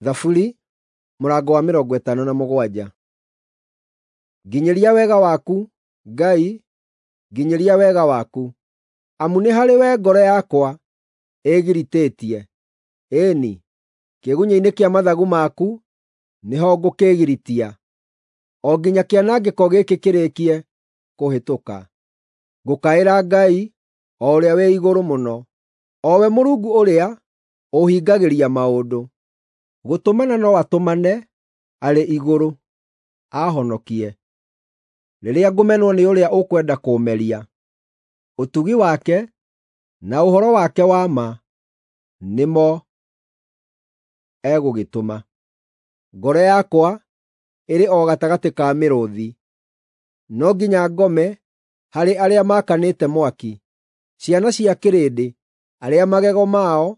Thaburi mũrango wa 57. Nginyĩria wega waku, Ngai, nginyĩria wega waku, amu nĩ harĩwe ngoro yakwa ĩĩgiritĩtie; ĩĩ-ni, kĩĩgunyĩ-inĩ kĩa mathagu maku nĩho ngũkĩĩgiritia, o nginya kĩanangĩko gĩkĩ kĩrĩkie kũhĩtũka. Ngũkaĩra Ngai, o Ũrĩa-wĩ-Igũrũ-Mũno, o we Mũrungu ũrĩa ũũhingagĩria maũndũ. Gũtũmana no atũmane arĩ igũrũ, aahonokie rĩrĩa ngũmenwo nĩ ũrĩa ũkwenda kũũmeria. Ũtugi wake na ũhoro wake wa ma nĩmo egũgĩtũma. Ngoro yakwa ĩrĩ o gatagatĩ ka mĩrũũthi; no nginya ngome harĩ arĩa maakanĩte mwaki, ciana cia kĩrĩndĩ, arĩa magego mao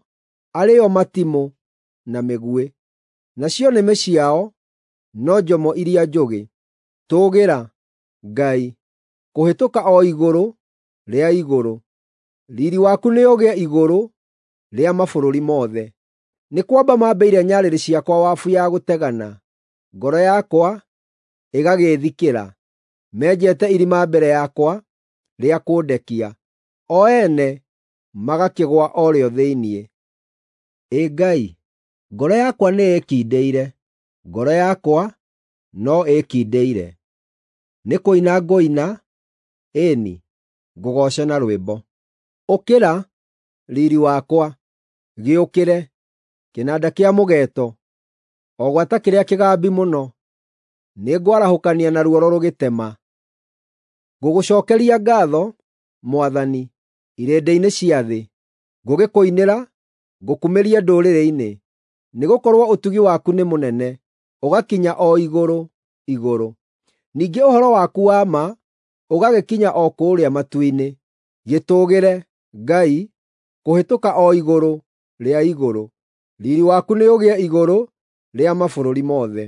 arĩ o matimũ na mĩguĩ, nacio nĩmĩ ciao no njomo iria njũgĩ. Tũũgĩra, Ngai, kũhĩtũka o igũrũ rĩa igũrũ; riiri waku nĩũgĩe igũrũ rĩa mabũrũri mothe. Nĩ kwamba mambĩire nyarĩrĩ ciakwa wabu ya gũtegana, ngoro yakwa ĩgagĩĩthikĩra. Menjete irima mbere yakwa rĩa kũndekia, o ene magakĩgũa o rĩo thĩinĩ. Ĩ Ngai, ngoro yakwa nĩĩkindĩire, ngoro yakwa no ĩĩkindĩire; nĩ kũina ngũina, ĩĩ-ni, ngũgooce na rwĩmbo. Ũkĩra, riiri wakwa, gĩũkĩre, kĩnanda kĩa mũgeeto, o gwata kĩrĩa kĩgambi mũno, nĩngwarahũkania na ruoro rũgĩtema. Ngũgũcookeria ngaatho, Mwathani, irĩndĩ-inĩ cia thĩ; ngũgĩkũinĩra, ngũkumĩrie ndũrĩrĩ-inĩ. Nĩgũkorwo ũtugi waku nĩ mũnene, ũgakinya o igũrũ, igũrũ; ningĩ ũhoro waku wa ma ũgagĩkinya o kũũrĩa matu-inĩ. Gĩtũũgĩre, Ngai, kũhĩtũka o igũrũ rĩa igũrũ; riiri waku nĩũgĩe igũrũ rĩa mabũrũri mothe.